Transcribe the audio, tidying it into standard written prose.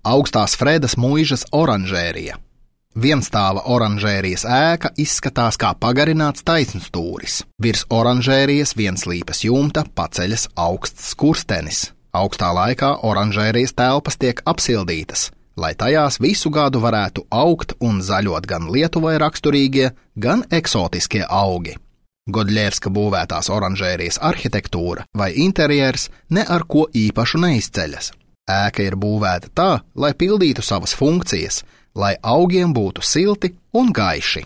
Augstās Fredas muižas oranžērija. Vienstāva oranžērijas ēka izskatās kā pagarināts taisnstūris. Virs oranžērijas vienslīpes jumta paceļas augsts skurstenis. Augstā laikā oranžērijas telpas tiek apsildītas, lai tajās visu gadu varētu augt un zaļot gan Lietuvai raksturīgie, gan eksotiskie augi. Godļevska būvētās oranžērijas arhitektūra vai interjers ne ar ko īpašu neizceļas. Ēka ir būvēta tā, lai pildītu savas funkcijas, lai augiem būtu silti un gaiši.